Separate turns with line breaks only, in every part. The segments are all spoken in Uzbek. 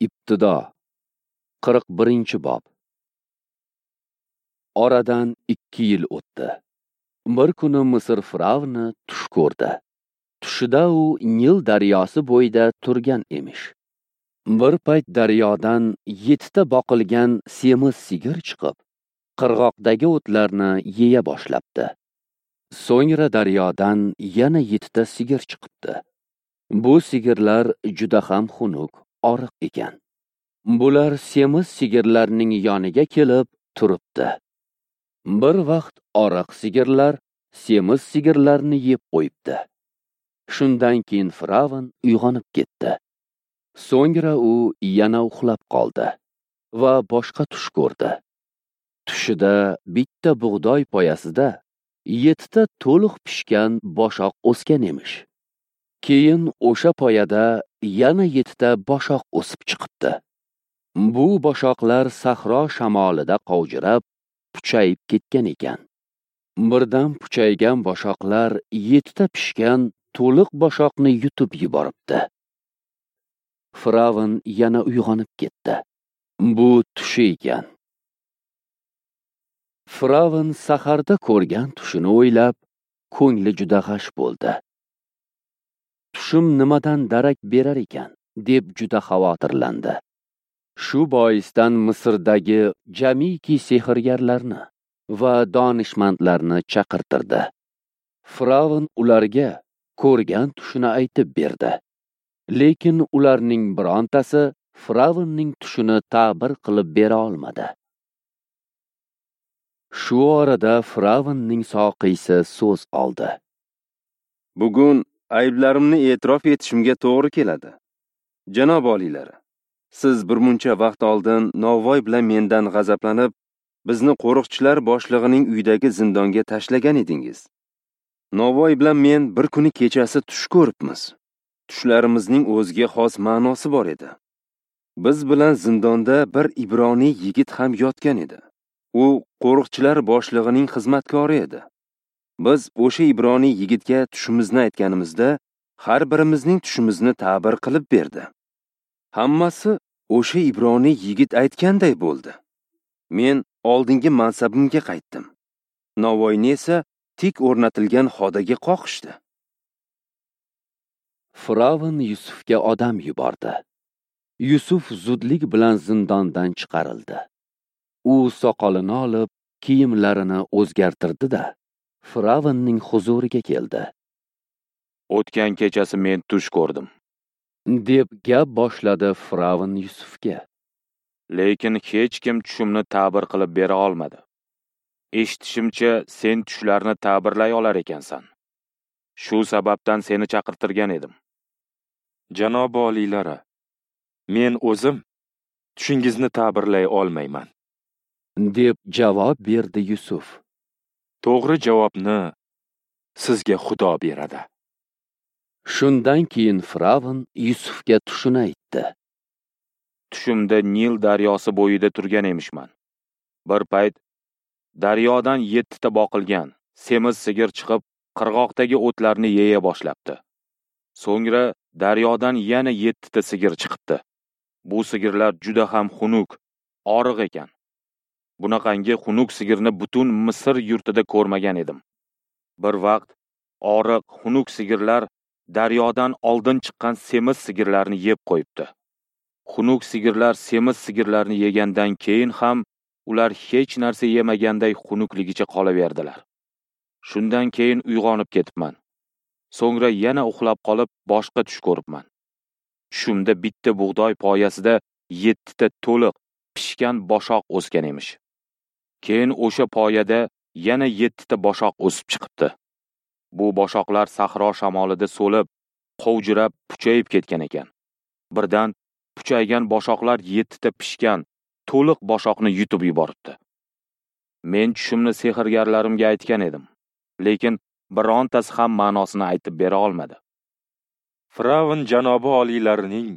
Ibtido 41-bob. Oradan 2 yil o'tdi. Bir kuni Misr firavni tush ko'rdi. Tushida u Nil daryosi bo'yida turgan emish. Bir payt daryodan 7 ta boqilgan semiz sigir chiqib, qirg'oqdagi o'tlarni yeya boshlabdi. So'ngra daryodan yana 7 ta sigir chiqibdi. Bu sigirlar juda ham xunuk, oriq ekan. Bular semiz sigirlarning yoniga kelib turibdi. Bir vaqt oriq sigirlar semiz sigirlarni yeb qo'yibdi. Shundan keyin firavn uyg'onib ketdi. So'ngra u yana uxlab qoldi va boshqa tush ko'rdi. Tushida bitta bug'doy poyasida 7 ta to'liq pishgan boshoq o'sgan emish. Keyin o'sha poyada yana 7 ta boshoq o'sib chiqibdi. Bu boshoqlar sahro shamolida qovjirab, puchayib ketgan ekan. Birdan puchaygan boshoqlar 7 ta pishgan to'liq boshoqni yutib yuboribdi. Firavn yana uyg'onib ketdi. Bu tushi ekan. Firavn saharda ko'rgan tushini o'ylab, ko'ngli juda g'ash bo'ldi. Tushim nimadan darak berar ekan, deb juda xavotirlandi. Shu boisdan Misrdagi jamiki sehrgarlarni va donishmandlarni chaqirtirdi. Firavn ularga ko'rgan tushini aytib berdi. Lekin ularning birontasi Firavnning tushini ta'bir qilib bera olmadi. Shu orada Firavnning soqiysi so'z oldi.
Bugun ayblarimni e'tirof etishimga to'g'ri keladi. Janob oliylari, siz birmuncha vaqt oldin Novvoy bilan mendan g'azablanib, bizni qo'riqchilar boshlig'ining uyidagi zindonga tashlagan edingiz. Novvoy bilan men bir kuni kechasi tush ko'ribmiz. Tushlarimizning o'ziga xos ma'nosi bor edi. Biz bilan zindonda bir ibroniy yigit ham yotgan edi. U qo'riqchilar boshlig'ining xizmatkori edi. Biz o'sha ibroniy yigitga tushimizni aytganimizda, har birimizning tushimizni ta'bir qilib berdi. Hammasi o'sha ibroniy yigit aytganday bo'ldi. Men oldingi mansabimga qaytdim. Navoiyni esa tik o'rnatilgan xodaga qoqishdi.
Firavn Yusufga odam yubordi. Yusuf zudlik bilan zindondan chiqarildi. U soqolini olib, kiyimlarini o'zgartirdi-da, Firavnning huzuriga keldi.
O'tgan kechasi men tush ko'rdim,
deb gap boshladi Firavn Yusufga.
Lekin hech kim tushimni ta'bir qilib bera olmadi. Eshitishimcha, sen tushlarni ta'birlay olar ekansan. Shu sababdan seni chaqirtirgan edim.
Janob oliylari, men o'zim tushingizni ta'birlay olmayman,
deb javob berdi Yusuf.
To'g'ri javobni sizga Xudo beradi.
Shundan keyin Firavn Yusufga tushini aytdi.
Tushimda Nil daryosi bo'yida turgan emishman. Bir payt daryodan 7 ta boqilgan semiz sigir chiqib, qirg'oqdagi o'tlarni yeya boshlabdi. So'ngra daryodan yana 7 ta sigir chiqibdi. Bu sigirlar juda ham xunuk, oriq ekan. Bunaqangi xunuk sigirni butun Misr yurtida ko'rmagan edim. Bir vaqt oriq, xunuk sigirlar daryodan oldin chiqqan semiz sigirlarni yeb qo'yibdi. Xunuk sigirlar semiz sigirlarni yegandan keyin ham ular hech narsa yemaganday xunukligicha qolaverdilar. Shundan keyin uyg'onib ketibman. So'ngra yana uxlab qolib, boshqa tush ko'ribman. Tushimda bitta bug'doy poyasida 7 ta to'liq pishgan boshoq o'sgan emish. Keyin o'sha poyada yana 7 ta boshoq o'sib chiqibdi. Bu boshoqlar sahro shamolida so'lib, qovjirab, puchayib ketgan ekan. Birdan puchaygan boshoqlar 7 ta pishgan to'liq boshoqni yutib yuboribdi. Men tushimni sehrgarlarimga aytgan edim, lekin birontasi ham ma'nosini aytib bera olmadi.
Firavn janobi oliylarining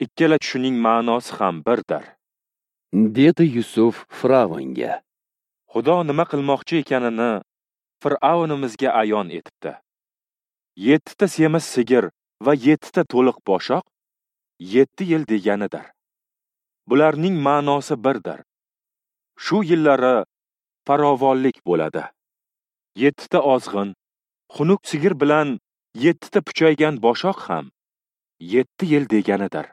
ikkala tushining ma'nosi ham birdir,
dedi Yusuf Firavnga.
Xudo nima qilmoqchi ekanini Fir'avnimizga ayon etibdi. 7 ta semiz sigir va 7 ta to'liq boshoq 7 yil deganidir. Bularning ma'nosi birdir. Shu yillari farovonlik bo'ladi. 7 ta ozg'in, xunuk sigir bilan 7 ta puchaygan boshoq ham 7 yil deganidir.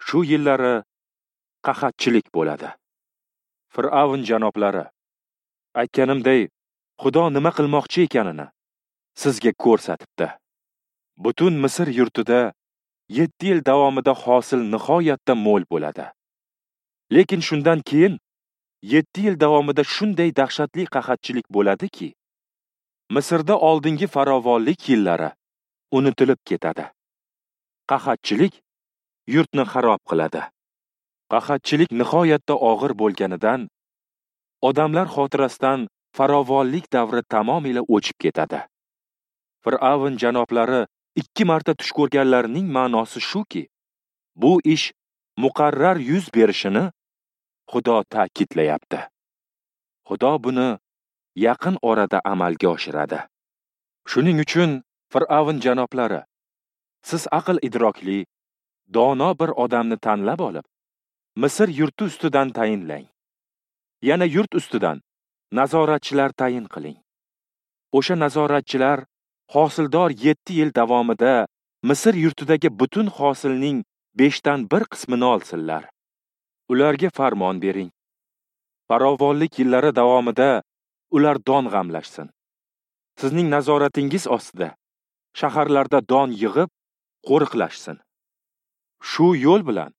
Shu yillari qahatchilik bo'ladi. Fir'avn janoblari, aytganimday, Xudo nima qilmoqchi ekanini sizga ko'rsatibdi. Butun Misr yurtida 7 yil davomida hosil nihoyatda mo'l bo'ladi. Lekin shundan keyin 7 yil davomida shunday dahshatli qahatchilik bo'ladiki, Misrda oldingi farovonlik yillari unutilib ketadi. Qahatchilik yurtni xarob qiladi. Qahatchilik nihoyatda og'ir bo'lganidan odamlar xotirasidan farovonlik davri tamomila o'chib ketadi. Fir'avn janoblari 2 marta tush ko'rganlarining ma'nosi shuki, bu ish muqarrar yuz berishini Xudo ta'kidlayapti. Xudo buni yaqin orada amalga oshiradi. Shuning uchun Fir'avn janoblari, siz aql idrokli, dono bir odamni tanlab olib, Misr yurti ustidan tayinlang. Yana yurt ustidan nazoratchilar tayin qiling. O'sha nazoratchilar hosildor 7 yil davomida Misr yurtidagi butun hosilning 1/5 qismini olsinlar. Ularga farmon bering. Farovonlik yillari davomida ular don g'amlashsin. Sizning nazoratingiz ostida shaharlarda don yig'ib, qo'riqlashsin. Shu yo'l bilan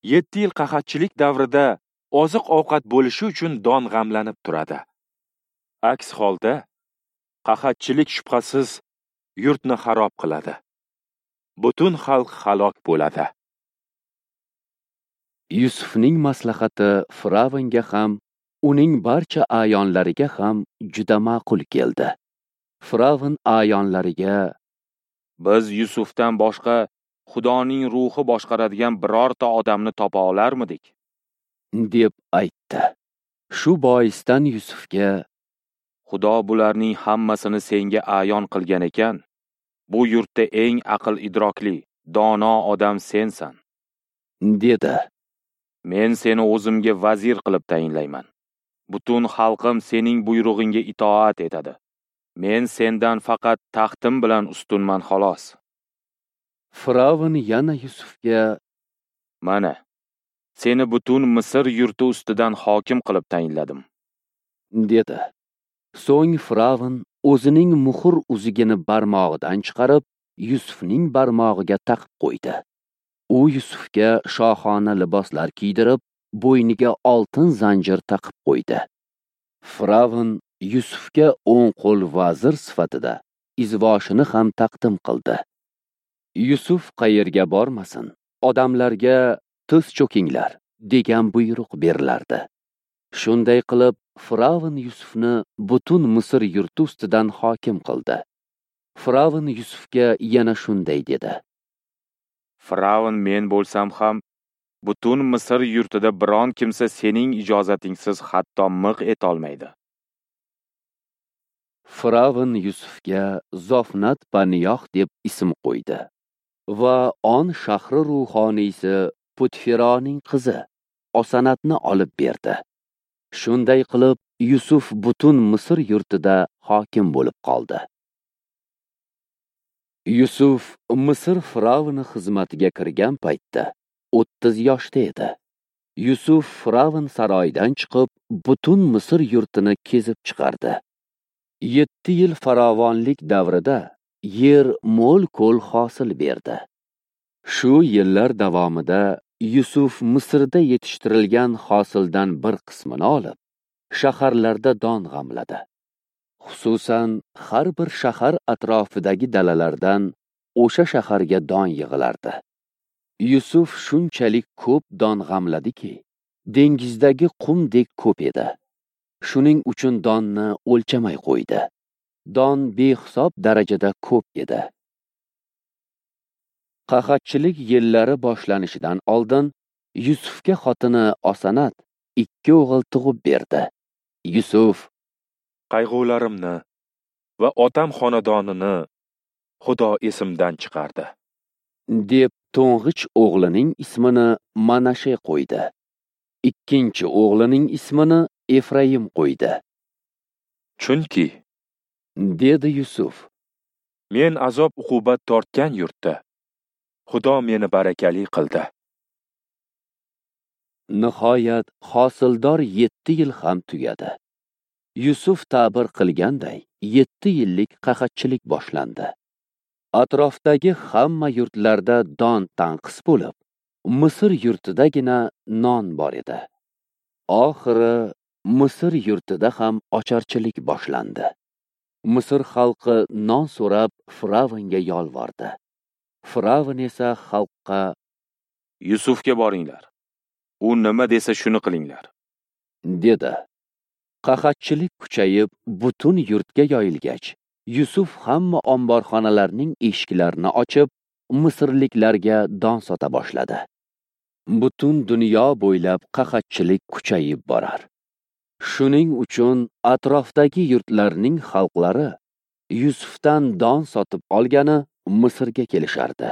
7 yil qahatchilik davrida oziq-ovqat bo'lishi uchun don g'amlanib turadi. Aks holda qahatchilik shubhasiz yurtni xarob qiladi. Butun xalq halok bo'ladi.
Yusufning maslahati Firavnga ham, uning barcha a'yonlariga ham juda ma'qul keldi. Firavn a'yonlariga:
Biz Yusufdan boshqa Xudoning ruhi boshqaradigan birorta odamni topa olarmidik?
deb aytdi. Shu boisdan Yusufga:
Xudo bularning hammasini senga ayon qilgan ekan, bu yurtda eng aql idrokli, dono odam sensan,
dedi.
Men seni o'zimga vazir qilib tayinlayman. Butun xalqim sening buyrug'ingga itoat etadi. Men sendan faqat taxtim bilan ustunman xolos.
Firavn yana Yusufga:
Mana, seni butun Misr yurti ustidan hokim qilib tayinladim,
dedi. So'ng Firavn o'zining muhr uzugini barmog'idan chiqarib, Yusufning barmog'iga taqib qo'ydi. U Yusufga shohona liboslar kiydirib, bo'yniga oltin zanjir taqib qo'ydi. Firavn Yusufga o'ng qo'l vazir sifatida izvoshini ham taqdim qildi. Yusuf qayerga bormasin, odamlarga tiz cho'kinglar degan buyruq berilardi. Shunday qilib, Firavn Yusufni butun Misr yurti ustidan hokim qildi. Firavn Yusufga yana shunday dedi:
Firavn men bo'lsam ham, butun Misr yurtida biron kimsa sening ijozatingsiz hatto miq etolmaydi.
Firavn Yusufga Zofnat Paniyoh deb ism qo'ydi va On shahri ruhoniysi Putfironing qizi Osanatni olib berdi. Shunday qilib, Yusuf butun Misr yurtida hokim bo'lib qoldi. Yusuf Misr firavni xizmatiga kirgan paytda 30 yoshda edi. Yusuf firavn saroyidan chiqib, butun Misr yurtini kezib chiqardi. 7 yil farovonlik davrida yer mo'l-ko'l hosil berdi. Shu yillar davomida Yusuf Misrda yetishtirilgan hosildan bir qismini olib, shaharlarda don g'amladi. Xususan, har bir shahar atrofidagi dalalardan o'sha shaharga don yig'ilardi. Yusuf shunchalik ko'p don g'amladiki, dengizdagi qumdek ko'p edi. Shuning uchun donni o'lchamay qo'ydi. Don behisob darajada ko'p edi. Qahatchilik yillari boshlanishidan oldin Yusufga xotini Osanat 2 o'g'il tug'ib berdi. Yusuf:
Qayg'ularimni va otam xonadonini Xudo esimdan chiqardi,
deb To'ng'ich o'g'lining ismini Manashe qo'ydi. Ikkinchi o'g'lining ismini Efraim qo'ydi.
Chunki,
dedi Yusuf,
men azob-uqubat tortgan yurtda Xudo meni barakali qildi.
Nihoyat hosildor 7 yil ham tugadi. Yusuf ta'bir qilganday 7 yillik qahatchilik boshlandi. Atrofdagi hamma yurtlarda don tanqis bo'lib, Misr yurtidagina non bor edi. Oxiri Misr yurtida ham ocharchilik boshlandi. Misr xalqi non so'rab Firavnga yolvordi. Firavn esa xalqqa:
Yusufga boringlar. U nima desa shuni qilinglar,
dedi. Qahatchilik kuchayib, butun yurtga yoyilgach, Yusuf hamma omborxonalarning eshiklarini ochib, misrliklarga don sota boshladi. Butun dunyo bo'ylab qahatchilik kuchayib borar. Shuning uchun atrofdagi yurtlarning xalqlari Yusufdan don sotib olgani Misrga kelishardi.